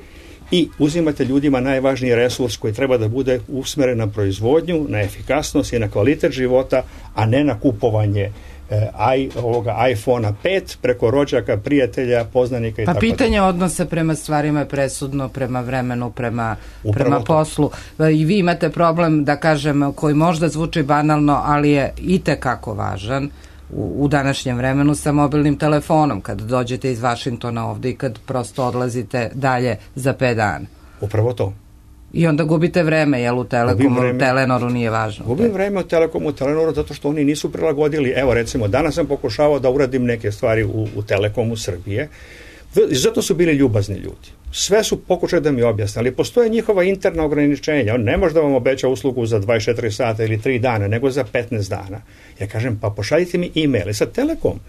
i uzimate ljudima najvažniji resurs koji treba da bude usmeren na proizvodnju, na efikasnost i na kvalitet života, a ne na kupovanje eh, i, ovoga iPhona pet preko rođaka, prijatelja, poznanika i pa tako. Pa pitanje odnosa prema stvarima je presudno, prema vremenu, prema, prema poslu. I vi imate problem, da kažem, koji možda zvuči banalno, ali je itekako važan u, u današnjem vremenu sa mobilnim telefonom, kad dođete iz Vašingtona ovde i kad prosto odlazite dalje za pet dana. Upravo to. I onda gubite vreme, jel u Telekomu, vreme, Telenoru nije važno. Gubim vreme u Telekomu, u Telenoru, zato što oni nisu prilagodili. Evo recimo, danas sam pokušavao da uradim neke stvari u, u Telekomu Srbije. Zato su bili ljubazni ljudi. Sve su pokušali da mi objasne, ali postoje njihova interna ograničenja. On ne može da vam obeća uslugu za dvadeset četiri sata ili tri dana, nego za petnaest dana. Ja kažem, pa pošaljite mi e-mail. I sad Telekom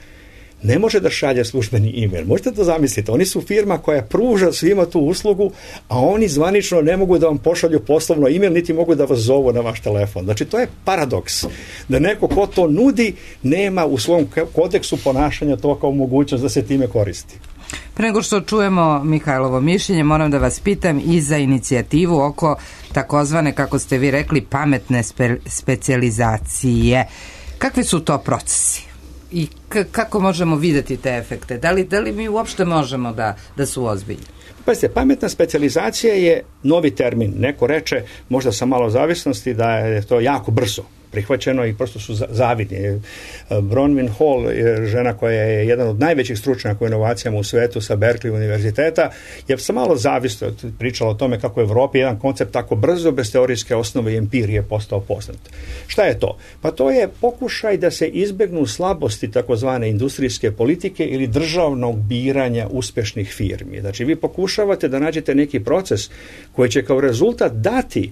ne može da šalje službeni e-mail. Možete da zamislite, oni su firma koja pruža svima tu uslugu, a oni zvanično ne mogu da vam pošalju poslovno e-mail, niti mogu da vas zovu na vaš telefon. Znači, to je paradoks. Da neko ko to nudi, nema u svom kodeksu ponašanja to kao mogućnost da se time koristi. Pre nego što čujemo Mihajlovo mišljenje, moram da vas pitam i za inicijativu oko takozvane, kako ste vi rekli, pametne spe, specijalizacije. Kakvi su to procesi? I k- kako možemo videti te efekte? Da li, da li mi uopšte možemo da, da su ozbiljni? Pazite, pametna specijalizacija je novi termin. Neko reče, možda sa malo zavisnosti, da je to jako brzo prihvaćeno i prosto su zavidni. Bronwyn Hall je žena koja je jedan od najvećih stručnjaka u inovacijama u svetu sa Berkeley univerziteta, je sa malo zavisno pričala o tome kako u Evropi jedan koncept tako brzo, bez teorijske osnove i empirije postao poznat. Šta je to? Pa to je pokušaj da se izbegnu slabosti takozvane industrijske politike ili državnog biranja uspešnih firmi. Znači, vi pokušavate da nađete neki proces koji će kao rezultat dati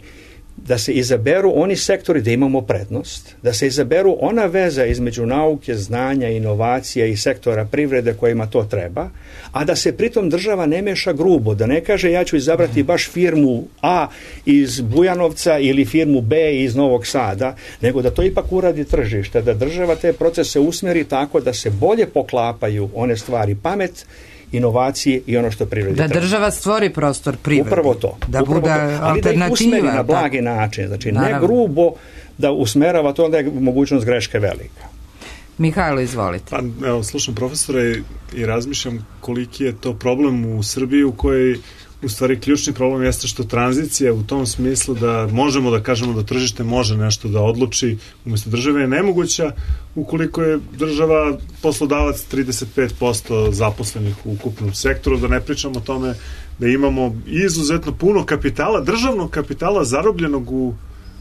da se izaberu oni sektori da imamo prednost, da se izaberu ona veza između nauke, znanja, inovacija i sektora privrede kojima to treba, a da se pritom država ne meša grubo, da ne kaže ja ću izabrati baš firmu A iz Bujanovca ili firmu B iz Novog Sada, nego da to ipak uradi tržište, da država te procese usmeri tako da se bolje poklapaju one stvari, pamet, inovacije i ono što privredi da treba. Država stvori prostor privredi. Upravo to. Da upravo bude to. Ali alternativa. da ih usmeri na blagi način. Znači, Naravno. ne grubo da usmerava to, onda je mogućnost greške velika. Mihajlo, izvolite. Pa, evo, slušam profesora i, i razmišljam koliki je to problem u Srbiji u kojoj u stvari ključni problem jeste što tranzicija u tom smislu da možemo da kažemo da tržište može nešto da odluči umjesto države je nemoguća ukoliko je država poslodavac trideset pet posto zaposlenih u ukupnom sektoru, da ne pričamo o tome da imamo izuzetno puno kapitala, državnog kapitala zarobljenog u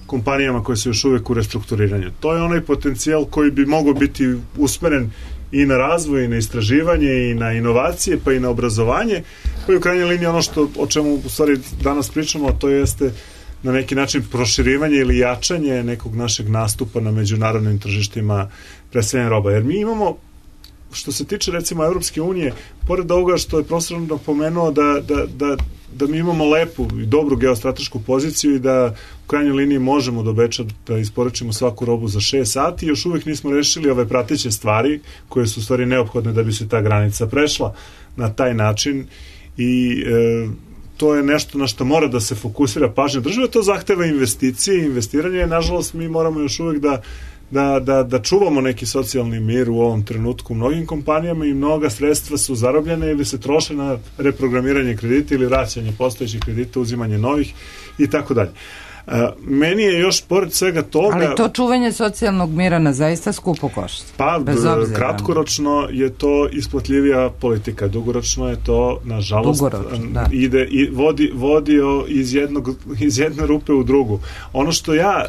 kompanijama koje su još uvijek u restrukturiranju. To je onaj potencijal koji bi mogao biti usmeren i na razvoj, i na istraživanje, i na inovacije, pa i na obrazovanje, pa i u krajnjoj liniji ono što, o čemu u stvari danas pričamo, to jeste na neki način proširivanje ili jačanje nekog našeg nastupa na međunarodnim tržištima predstavljanja roba. Jer mi imamo, što se tiče recimo Evropske unije, pored ovoga što je profesor napomenuo da, da, da, da mi imamo lepu i dobru geostratešku poziciju i da u krajnjoj liniji možemo do Beča da isporučimo svaku robu za šest sati, još uvijek nismo rešili ove prateće stvari koje su u stvari neophodne da bi se ta granica prešla na taj način i e, to je nešto na što mora da se fokusira pažnja države, to zahteva investicije i investiranje, nažalost mi moramo još uvijek da Da, da, da čuvamo neki socijalni mir u ovom trenutku u mnogim kompanijama i mnoga sredstva su zarobljene ili se troše na reprogramiranje kredita ili vraćanje postojećih kredita, uzimanje novih i tako dalje. Meni je još pored svega toga... Ali to čuvanje socijalnog mira na zaista skupo košta. Pa, kratkoročno je to isplatljivija politika, dugoročno je to, nažalost, da. ide i vodi, vodi iz, jednog, iz jedne rupe u drugu. Ono što ja...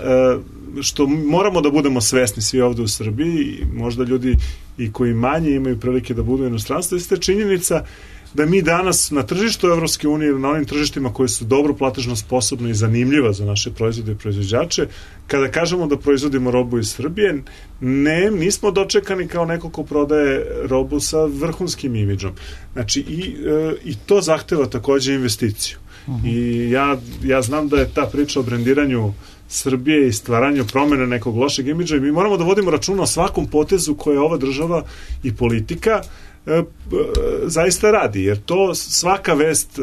što moramo da budemo svesni svi ovde u Srbiji, možda ljudi i koji manje imaju prilike da budu u inostranstvu, jeste činjenica da mi danas na tržištu Evropske unije ili na onim tržištima koji su dobro platežno sposobne i zanimljiva za naše proizvode i proizvođače, kada kažemo da proizvodimo robu iz Srbije, ne, nismo dočekani kao neko ko prodaje robu sa vrhunskim imidžom. Znači, i, e, i to zahteva takođe investiciju. Uh-huh. I ja, ja znam da je ta priča o brendiranju Srbije i stvaranju promjene nekog lošeg imidža i mi moramo da vodimo računa o svakom potezu koje ova država i politika e, e, zaista radi, jer to svaka vest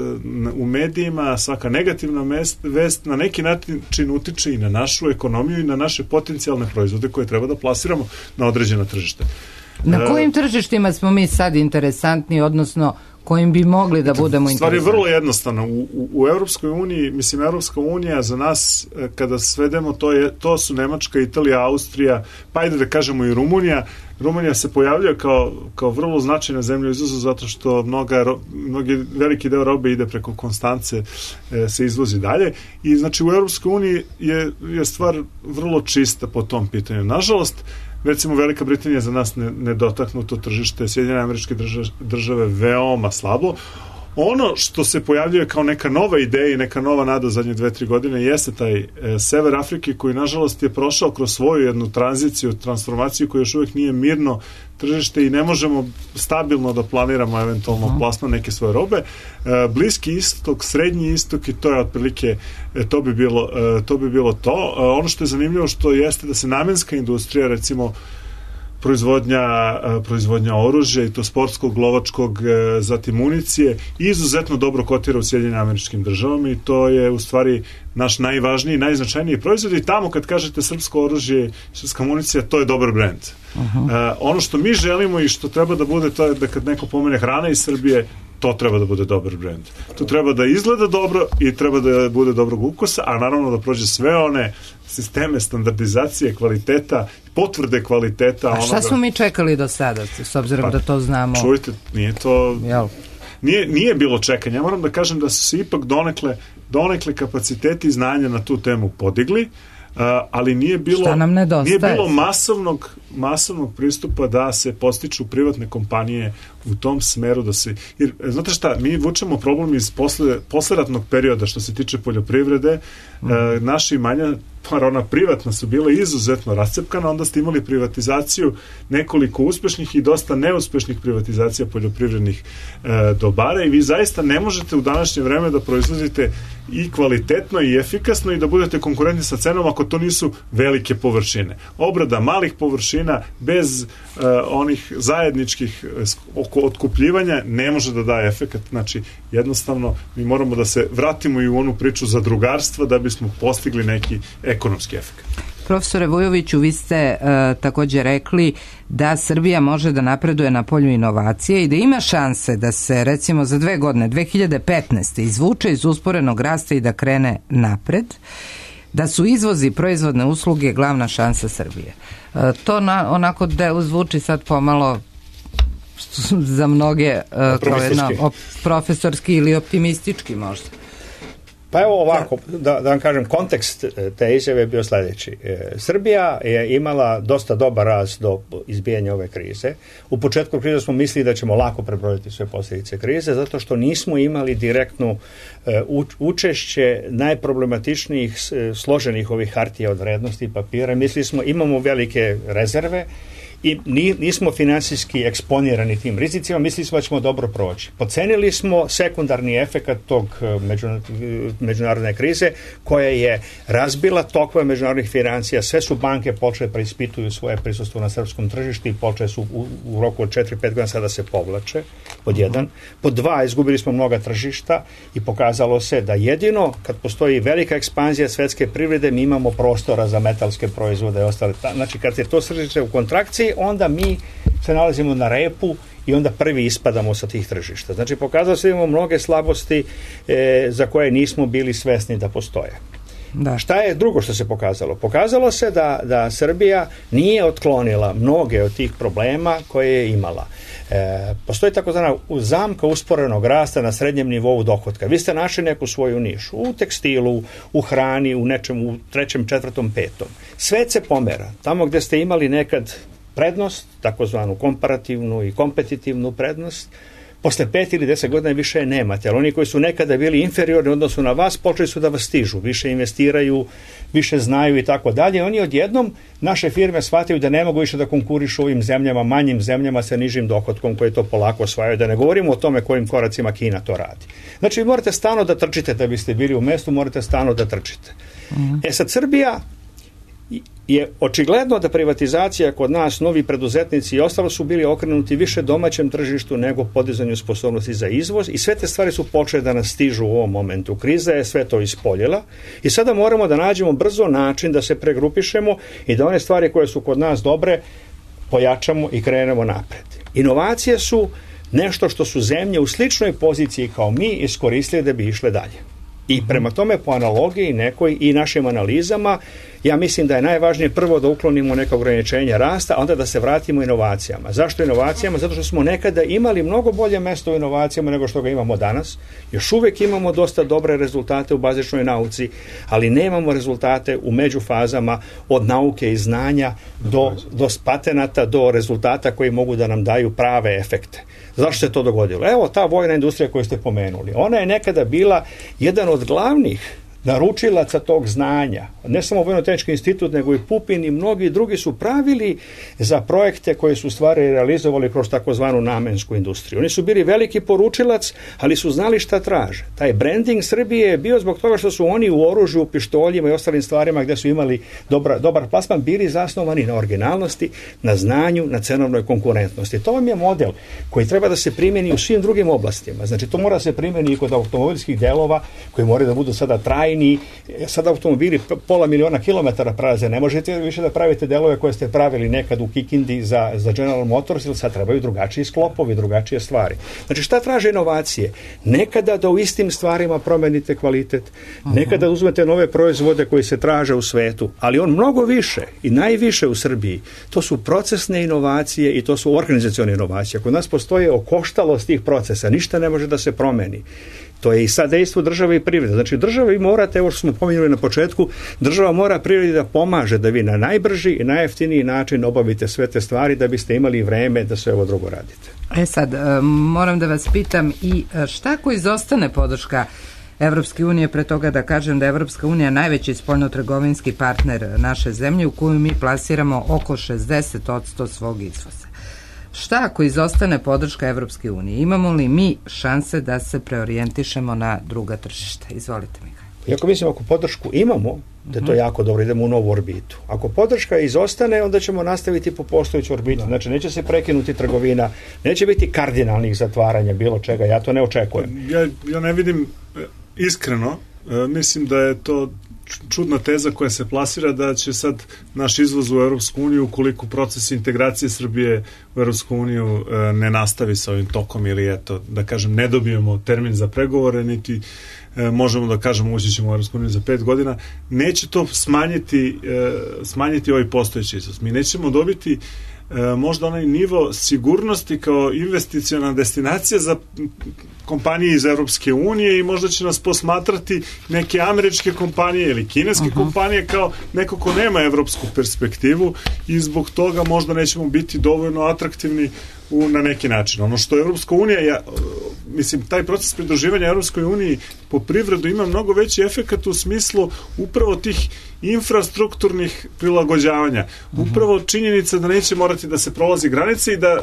u medijima, svaka negativna mest, vest na neki način utiče i na našu ekonomiju i na naše potencijalne proizvode koje treba da plasiramo na određena tržište. Na kojim tržištima smo mi sad interesantni, odnosno kojim bi mogli da budemo interesantni? Stvar je vrlo jednostavna. U, u, u Evropskoj uniji, mislim, Evropska unija za nas, kada svedemo, to, je, to su Nemačka, Italija, Austrija, pa ajde da kažemo i Rumunija. Rumunija se pojavljuje kao, kao vrlo značajna zemlja izuzu zato što mnoga, mnogi, veliki deo robe ide preko Konstance, e, se izvozi dalje i znači u Evropskoj uniji je, je stvar vrlo čista po tom pitanju. Nažalost, recimo Velika Britanija za nas ne, nedotaknuto tržište, Sjedinjene Američke države, države veoma slabo. Ono što se pojavljuje kao neka nova ideja i neka nova nada zadnje dve, tri godine jeste taj e, sever Afrike koji nažalost je prošao kroz svoju jednu tranziciju, transformaciju koja još uvijek nije mirno tržište i ne možemo stabilno da planiramo eventualno uh-huh. plasman neke svoje robe. E, Bliski istok, Srednji istok i to je otprilike e, to bi bilo e, to bi bilo to. E, ono što je zanimljivo što jeste da se namenska industrija recimo proizvodnja, proizvodnja oružja i to sportskog, lovačkog, zatim municije izuzetno dobro kotira u Sjedinjenim Američkim Državama i to je u stvari naš najvažniji, najznačajniji proizvod i tamo kad kažete srpsko oružje, srpska municija, to je dobar brend. Uh-huh. Uh, ono što mi želimo i što treba da bude, to je da kad neko pomene hrana iz Srbije, to treba da bude dobar brend. To treba da izgleda dobro i treba da bude dobrog ukusa, a naravno da prođe sve one sisteme standardizacije kvaliteta, potvrde kvaliteta. A šta onoga... smo mi čekali do sada, s obzirom pa, da to znamo? Čujte, nije to... Jel? Nije, nije bilo čekanja. Ja moram da kažem da su se ipak donekle, donekle kapaciteti znanja na tu temu podigli. ali nije bilo, Šta nam nedostaje? nije bilo masovnog, masovnog pristupa da se postiču privatne kompanije u tom smeru da se, jer znate šta, mi vučemo problem iz posle, posleratnog perioda što se tiče poljoprivrede, mm. e, naši imanja, pa ona privatna su bila izuzetno rascepkana, onda ste imali privatizaciju nekoliko uspešnih i dosta neuspešnih privatizacija poljoprivrednih e, dobara i vi zaista ne možete u današnje vreme da proizvodite i kvalitetno i efikasno i da budete konkurentni sa cenom ako to nisu velike površine. Obrada malih površina bez e, onih zajedničkih oko otkupljivanja ne može da daje efekat. Znači, jednostavno mi moramo da se vratimo i u onu priču zadrugarstva da bismo postigli neki ekonomski efekt. Profesore Vujoviću, vi ste e, također rekli da Srbija može da napreduje na polju inovacije i da ima šanse da se recimo za dve godine, dve hiljade petnaeste izvuče iz usporenog rasta i da krene napred, da su izvozi proizvodne usluge glavna šansa Srbije. E, to na, onako da zvuči sad pomalo za mnoge uh, kao jedna, op, profesorski ili optimistički možda. Pa evo ovako, da, da vam kažem, kontekst te izjave je bio sljedeći. E, Srbija je imala dosta dobar rast do izbijanja ove krize. U početku krize smo mislili da ćemo lako prebroditi sve posljedice krize, zato što nismo imali direktnu e, učešće najproblematičnijih složenih ovih hartija od vrednosti i papira. Mislili smo, imamo velike rezerve, i nismo finansijski eksponirani tim rizicima, mislili smo da ćemo dobro proći. Pocenili smo sekundarni efekat tog međunarodne krize koja je razbila tokove međunarodnih financija, sve su banke počele preispituju svoje prisustvo na srpskom tržištu i počele su u, u roku od četiri pet godina sada se povlače, pod jedan. Pod dva, izgubili smo mnoga tržišta i pokazalo se da jedino kad postoji velika ekspanzija svetske privrede mi imamo prostora za metalske proizvode i ostale. Znači kad je to tržište u kontrakciji, onda mi se nalazimo na repu i onda prvi ispadamo sa tih tržišta. Znači, pokazalo se da imamo mnoge slabosti e, za koje nismo bili svesni da postoje. Da. Šta je drugo što se pokazalo? Pokazalo se da, da Srbija nije otklonila mnoge od tih problema koje je imala. E, postoji takozvana zamka usporenog rasta na srednjem nivou dohotka. Vi ste našli neku svoju nišu u tekstilu, u hrani, u nečem, u trećem, četvrtom, petom. Svet se pomera. Tamo gde ste imali nekad prednost, takozvanu komparativnu i kompetitivnu prednost, posle pet ili deset godina više je nemate, ali oni koji su nekada bili inferiorni u odnosu na vas, počeli su da vas stižu, više investiraju, više znaju i tako dalje. Oni odjednom, naše firme shvataju da ne mogu više da konkurišu ovim zemljama, manjim zemljama sa nižim dohotkom koji to polako osvajaju, da ne govorimo o tome kojim koracima Kina to radi. Znači, vi morate stalno da trčite da biste bili u mestu, morate stalno da trčite. Mm. E sad, Srbija je očigledno da privatizacija kod nas, novi preduzetnici i ostalo su bili okrenuti više domaćem tržištu nego podizanju sposobnosti za izvoz i sve te stvari su počele da nas stižu u ovom momentu. Kriza je sve to ispoljila i sada moramo da nađemo brzo način da se pregrupišemo i da one stvari koje su kod nas dobre pojačamo i krenemo napred. Inovacije su nešto što su zemlje u sličnoj poziciji kao mi iskoristili da bi išle dalje. I prema tome po analogiji nekoj i našim analizama ja mislim da je najvažnije prvo da uklonimo neka ograničenja rasta, a onda da se vratimo inovacijama. Zašto inovacijama? Zato što smo nekada imali mnogo bolje mesto u inovacijama nego što ga imamo danas. Još uvijek imamo dosta dobre rezultate u bazičnoj nauci, ali nemamo rezultate u međufazama od nauke i znanja do, do patenata, do rezultata koji mogu da nam daju prave efekte. Zašto se to dogodilo? Evo ta vojna industrija koju ste pomenuli. Ona je nekada bila jedan od glavnih naručilaca tog znanja. Ne samo Vojno-tehnički institut, nego i Pupin i mnogi drugi su pravili za projekte koje su stvari realizovali kroz takozvanu namensku industriju. Oni su bili veliki poručilac, ali su znali šta traže. Taj branding Srbije je bio zbog toga što su oni u oružju, u pištoljima i ostalim stvarima gde su imali dobra, dobar plasman, bili zasnovani na originalnosti, na znanju, na cenovnoj konkurentnosti. To vam je model koji treba da se primjeni u svim drugim oblastima. Znači, to mora se primjeni i kod automobilskih delova koji moraju da budu sada trajni. Sada automobili pola miliona kilometara prelaze, ne možete više da pravite delove koje ste pravili nekad u Kikindi za, za General Motors, ili sad trebaju drugačiji sklopovi, drugačije stvari. Znači, šta traže inovacije? Nekada da u istim stvarima promenite kvalitet, nekada uzmete nove proizvode koji se traže u svetu, ali on mnogo više i najviše u Srbiji, to su procesne inovacije i to su organizacione inovacije. Kod nas postoje okoštalost tih procesa, ništa ne može da se promeni. To je i sad dejstvo države i privrede. Znači država vi morate, evo što smo pominjali na početku, država mora privredi da pomaže da vi na najbrži i najjeftiniji način obavite sve te stvari da biste imali vreme da sve ovo drugo radite. E sad, moram da vas pitam i šta ako izostane podrška Evropske unije, pre toga da kažem da je Evropska unija najveći spoljnotrgovinski partner naše zemlje u koju mi plasiramo oko šezdeset posto svog izvoza. Šta ako izostane podrška Evropske unije? Imamo li mi šanse da se preorijentišemo na druga tržišta? Izvolite, Mihajlo. Iako mislim, ako podršku imamo, da je to jako dobro, idemo u novu orbitu. Ako podrška izostane, onda ćemo nastaviti po postojeću orbitu. Da. Znači, neće se prekinuti trgovina, neće biti kardinalnih zatvaranja, bilo čega, ja to ne očekujem. Ja, ja ne vidim, iskreno, mislim da je to čudna teza koja se plasira da će sad naš izvoz u Europsku uniju, ukoliko proces integracije Srbije u Europsku uniju ne nastavi sa ovim tokom ili eto, da kažem, ne dobijemo termin za pregovore, niti možemo da kažemo ući ćemo u Europsku uniju za pet godina, neće to smanjiti, smanjiti ovaj postojeći izvoz. Mi nećemo dobiti možda onaj nivo sigurnosti kao investiciona destinacija za kompanije iz Evropske unije i možda će nas posmatrati neke američke kompanije ili kineske uh-huh. kompanije kao neko ko nema evropsku perspektivu i zbog toga možda nećemo biti dovoljno atraktivni u, na neki način. Ono što Evropska unija, ja, mislim, taj proces pridruživanja Evropskoj uniji po privredu ima mnogo veći efekat u smislu upravo tih infrastrukturnih prilagođavanja. Upravo činjenica da neće morati da se prolazi granice i da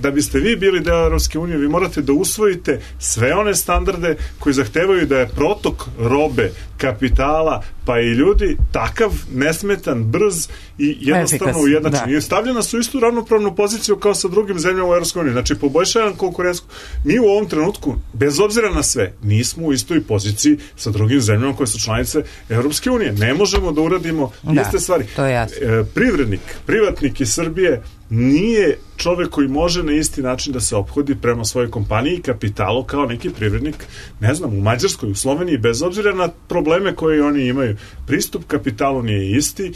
da biste vi bili deo Europske unije, vi morate da usvojite sve one standarde koji zahtevaju da je protok robe, kapitala, pa i ljudi takav, nesmetan, brz i jednostavno ujednačen. I stavljena su istu ravnopravnu poziciju kao sa drugim zemljama u Europskoj uniji. Znači, poboljšavan konkurenciju. Mi u ovom trenutku, bez obzira na sve, nismo u istoj poziciji sa drugim zemljama koje su članice Europske unije. Ne možemo da uradimo da, iste stvari. To je jasno. E, privrednik, privatnik iz Srbije nije čovek koji može na isti način da se ophodi prema svojoj kompaniji i kapitalu kao neki privrednik, ne znam, u Mađarskoj, u Sloveniji, bez obzira na probleme koje oni imaju. Pristup kapitalu nije isti. E,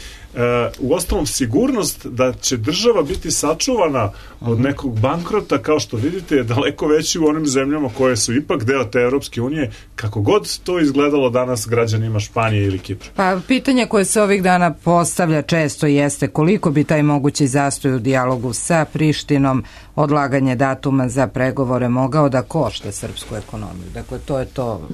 u ostalom, sigurnost da će država biti sačuvana od nekog bankrota, kao što vidite, je daleko veći u onim zemljama koje su ipak deo te Europske unije, kako god to izgledalo danas građanima Španije ili Kipra. Pa pitanje koje se ovih dana postavlja često jeste koliko bi taj mogući zastoj u dijalogu sa Prištinom, odlaganje datuma za pregovore mogao da košta srpsku ekonomiju. Dakle, to je to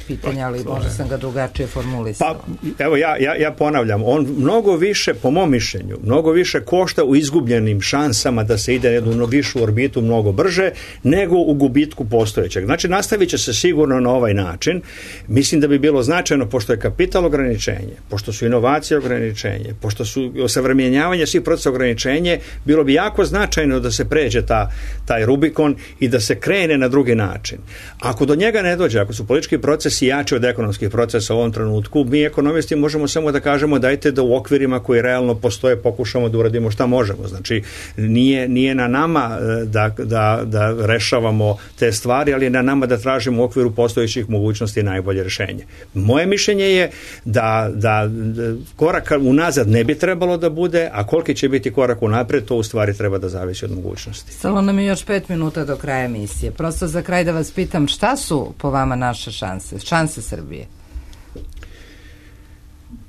pitanje, ali možda sam ga drugačije formulisao. Pa, evo, ja, ja, ja ponavljam, on mnogo više, po mom mišljenju, mnogo više košta u izgubljenim šansama da se ide jednu višu orbitu mnogo brže, nego u gubitku postojećeg. Znači, nastavit će se sigurno na ovaj način. Mislim da bi bilo značajno, pošto je kapital ograničenje, pošto su inovacije ograničenje, pošto su osavremenjavanje svih procesa ograničenje, bilo bi jako značajno da se pređe ta, taj Rubikon i da se krene na drugi način. Ako do njega ne dođe, ako su politički procesi jači od ekonomskih procesa u ovom trenutku, mi ekonomisti možemo samo da kažemo dajte da u okvirima koji realno postoje pokušamo da uradimo šta možemo. Znači, nije, nije na nama da, da, da rešavamo te stvari, ali je na nama da tražimo u okviru postojećih mogućnosti najbolje rešenje. Moje mišljenje je da, da, da korak unazad ne bi trebalo da bude, a koliki će biti korak unapred, to u stvari treba da zavisi od mogućnosti. Stalo nam je još pet minuta do kraja emisije. Prosto za kraj da vas pitam, šta su po vama naše šanse? Šanse Srbije?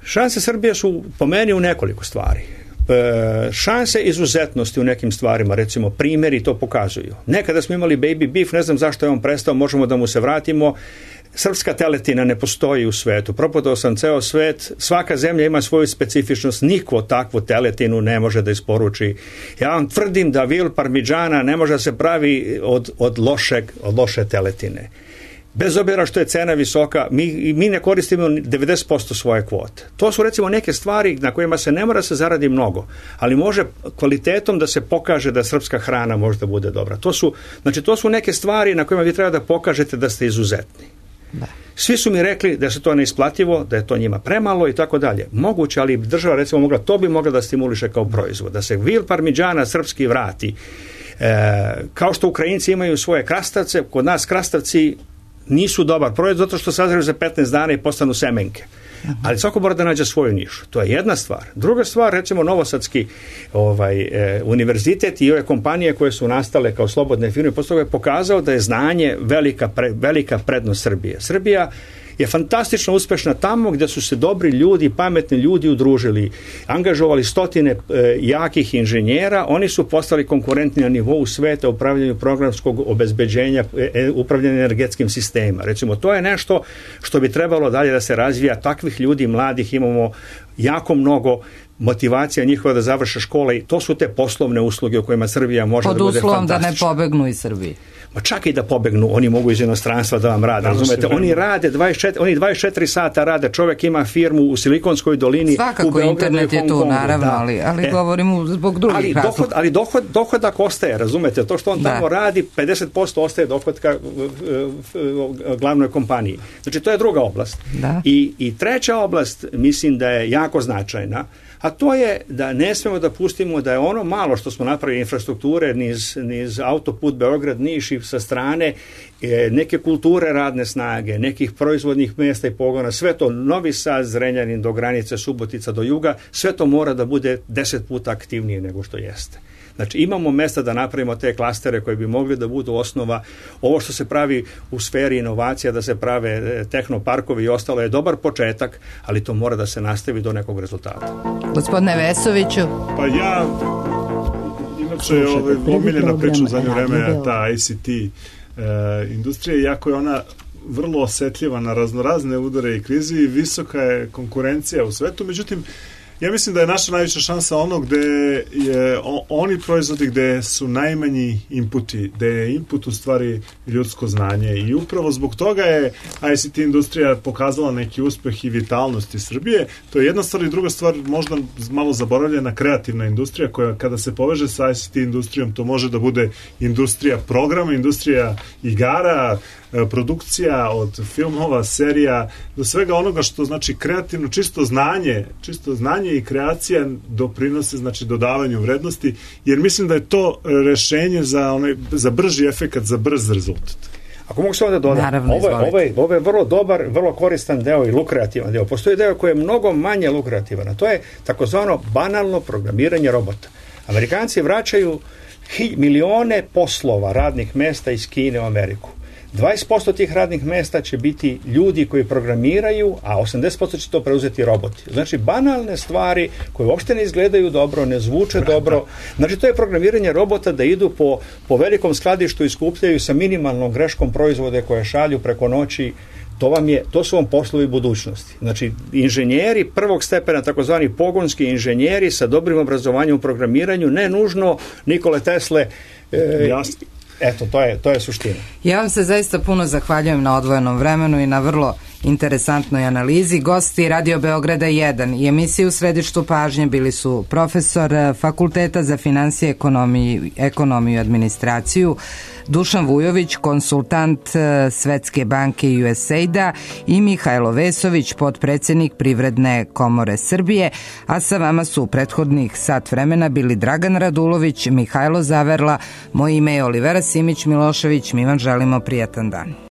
Šanse Srbije su po meni u nekoliko stvari. E, šanse izuzetnosti u nekim stvarima, recimo primjeri to pokazuju. Nekada smo imali baby beef, ne znam zašto je on prestao, možemo da mu se vratimo. Srpska teletina ne postoji u svetu. Propadao sam ceo svet, svaka zemlja ima svoju specifičnost, niko takvu teletinu ne može da isporuči. Ja vam tvrdim da vil parmigiana ne može da se pravi od, od, lošeg, od loše teletine. Bez obzira što je cena visoka, mi, mi ne koristimo devedeset posto svoje kvote. To su recimo neke stvari na kojima se ne mora se zaradi mnogo, ali može kvalitetom da se pokaže da srpska hrana može da bude dobra. To su, znači, to su neke stvari na kojima vi treba da pokažete da ste izuzetni. Da. Svi su mi rekli da se to neisplativo, da je to njima premalo i tako dalje. Moguće, ali država recimo mogla, to bi mogla da stimuliše kao proizvod, da se vil parmigiana srpski vrati. E, kao što Ukrajinci imaju svoje krastavce, kod nas krastavci nisu dobar proizvod zato što sazreju za petnaest dana i postanu semenke. Ali svako mora da nađe svoju nišu. To je jedna stvar. Druga stvar, recimo Novosadski ovaj, e, univerzitet i ove kompanije koje su nastale kao slobodne firme, posle toga je pokazao da je znanje velika, pre, velika prednost Srbije. Srbija je fantastično uspešna tamo gde su se dobri ljudi, pametni ljudi udružili, angažovali stotine e, jakih inženjera, oni su postali konkurentni na nivou sveta u upravljanju programskog obezbeđenja, e, upravljanja energetskim sistema. Recimo, to je nešto što bi trebalo dalje da se razvija. Takvih ljudi, mladih, imamo jako mnogo, motivacija njihova da završe škole i to su te poslovne usluge u kojima Srbija može pod da bude fantastična. Pod uslovom da ne pobegnu iz Srbije. Ma čak i da pobegnu, oni mogu iz inostranstva da vam rade, razumete? Oni rade dvadeset četiri, oni dvadeset četiri sata rade, čovjek ima firmu u Silikonskoj dolini. Svakako, u Beogradu, internet je tu, naravno, da. ali, ali e, govorimo zbog drugih ali razloga. Dohod, ali dohod, dohodak ostaje, razumete? To što on da. tamo radi, pedeset posto ostaje dohodka glavnoj kompaniji. Znači, to je druga oblast. Da. I, I treća oblast, mislim da je jako značajna, a to je da ne smemo da pustimo da je ono malo što smo napravili infrastrukture, niz, niz autoput Beograd, Niš i sa strane, e, neke kulture radne snage, nekih proizvodnih mjesta i pogona, sve to Novi Sad, Zrenjanin do granice, Subotica do juga, sve to mora da bude deset puta aktivnije nego što jeste. Znači, imamo mesta da napravimo te klastere koji bi mogli da budu osnova. Ovo što se pravi u sferi inovacija, da se prave tehnoparkovi i ostalo je dobar početak, ali to mora da se nastavi do nekog rezultata. Gospodine Vesoviću. Pa ja, inače je ovaj, omiljena priča u zadnje vreme, ta I C T e, industrija, iako je ona vrlo osetljiva na raznorazne udare i krizi i visoka je konkurencija u svetu, međutim, ja mislim da je naša najveća šansa ono gde je o, oni proizvodi gde su najmanji inputi, gde je input u stvari ljudsko znanje i upravo zbog toga je I C T industrija pokazala neki uspeh i vitalnosti Srbije. To je jedna stvar i druga stvar, možda malo zaboravljena, kreativna industrija koja kada se poveže sa I C T industrijom to može da bude industrija programa, industrija igara, produkcija od filmova, serija, do svega onoga što znači kreativno, čisto znanje, čisto znanje i kreacija doprinose znači dodavanju vrednosti, jer mislim da je to rešenje za onaj za brži efekat, za brz rezultat. Ako mogu samo da dodam, Naravno, ovo, ovo, je, ovo je vrlo dobar, vrlo koristan deo i lukrativan deo. Postoji deo koji je mnogo manje lukrativan, a to je takozvano banalno programiranje robota. Amerikanci vraćaju hi, milione poslova radnih mesta iz Kine u Ameriku. dvadeset posto tih radnih mesta će biti ljudi koji programiraju, a osamdeset posto će to preuzeti roboti. Znači, banalne stvari koje uopšte ne izgledaju dobro, ne zvuče dobro. Znači, to je programiranje robota da idu po, po velikom skladištu i skupljaju sa minimalnom greškom proizvode koje šalju preko noći. To, vam je, to su vam poslovi budućnosti. Znači, inženjeri prvog stepena, takozvani pogonski inženjeri sa dobrim obrazovanjem u programiranju, ne nužno Nikole Tesle. E, Jasno. Eto, to je, to je suština. Ja vam se zaista puno zahvaljujem na odvojenom vremenu i na vrlo interesantnoj analizi. Gosti Radio Beograda jedan i emisije u središtu pažnje bili su profesor Fakulteta za finansije, ekonomiju, ekonomiju i administraciju Dušan Vujović, konsultant Svetske banke i U S A I D-a i Mihajlo Vesović, potpredsednik Privredne komore Srbije, a sa vama su u prethodnih sat vremena bili Dragan Radulović, Mihajlo Zaverla, moje ime je Olivera Simić Milošević, mi vam želimo prijatan dan.